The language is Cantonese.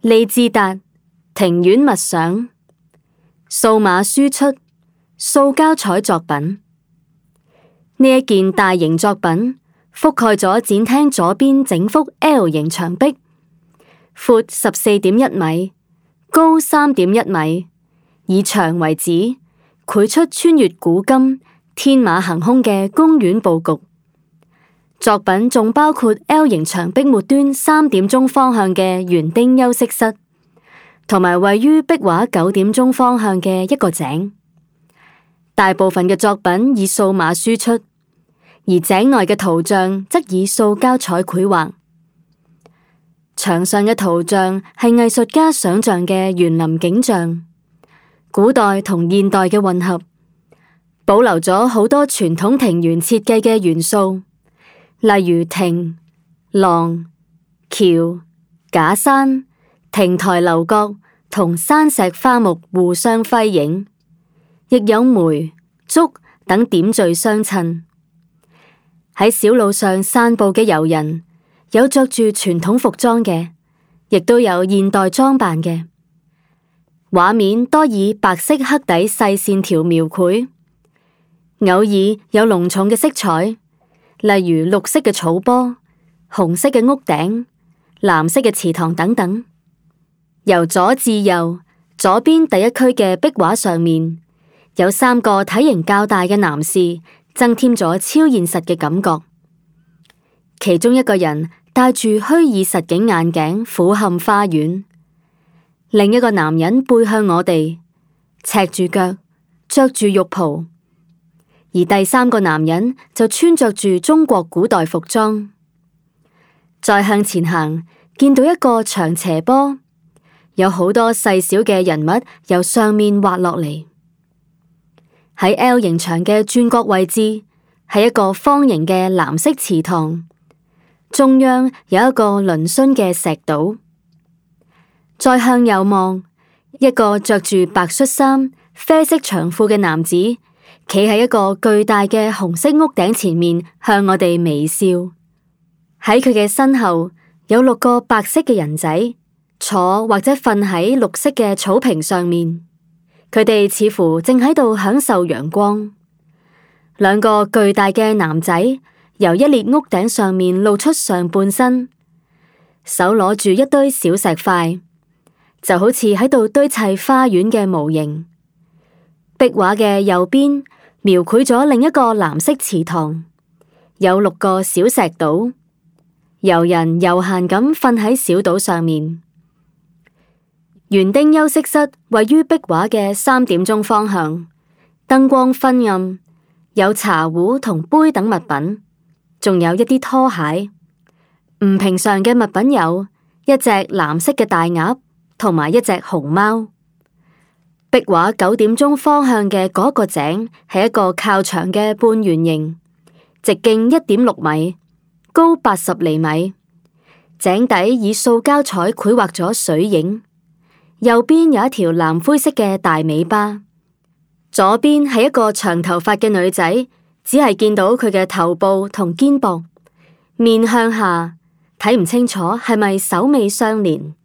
利智達庭院默想數碼輸出塑膠彩作品。呢一件大型作品覆蓋咗展廳左邊整幅 L 型牆壁，闊14.1米，高3.1米，以牆為址，繪出穿越古今、天馬行空嘅公園佈局。作品仲包括 L 型牆壁末端3點鐘方向嘅園丁休息室，同埋位於壁畫9點鐘方向嘅一個井。大部分嘅作品以數碼輸出，而井內嘅圖像則以塑膠彩繪畫。牆上嘅圖像係藝術家想象嘅園林景象，古代同現代嘅混合，保留咗好多傳統庭園設計嘅元素，例如亭、廊、橋、假山、亭台樓閣同山石花木互相輝映，亦有梅、竹等點綴相襯。喺小路上散步嘅遊人，有着住傳統服裝嘅，亦都有現代裝扮嘅。畫面多以白色黑底細線條描繪，偶爾有濃重嘅色彩，例如綠色嘅草坡、紅色嘅屋頂、藍色嘅池塘等等。由左至右，左邊第一區嘅壁畫上面，有3個體型較大嘅男士，增添咗超現實嘅感覺。其中一個人戴住虛擬實境眼鏡俯瞰花園，另一個男人背向我哋，赤住腳，着住浴袍，而第3個男人就穿着住中國古代服裝。再向前行，見到一個長斜坡，有好多細小嘅人物由上面滑落嚟。喺 L 型牆嘅轉角位置，係一個方形嘅藍色池塘，中央有一個嶙峋嘅石島。再向右望，一個着住白恤衫、啡色長褲嘅男子，企喺一個巨大嘅紅色屋頂前面，向我哋微笑。喺佢嘅身後，有6個白色嘅人仔，坐或者瞓喺綠色嘅草坪上面。佢哋似乎正喺度享受陽光。2個巨大嘅男仔由一列屋頂上面露出上半身，手攞住一堆小石塊，就好似喺度堆砌花園嘅模型。壁畫嘅右邊描繪咗另一個藍色池塘，有6個小石島，遊人悠閒咁瞓喺小島上面。園丁休息室位於壁畫嘅3點鐘方向，燈光昏暗，有茶壺同杯等物品，仲有一啲拖鞋。唔平常嘅物品有一隻藍色嘅大鴨同埋一隻熊貓。壁畫9點鐘方向嘅嗰個井係一個靠牆嘅半圓形，直徑1.6米，高80厘米。井底以塑膠彩繪畫咗水影。右邊有一條藍灰色嘅大尾巴，左邊係一個長頭髮嘅女仔，只係見到佢嘅頭部同肩膊，面向下，睇唔清楚係咪首尾相連。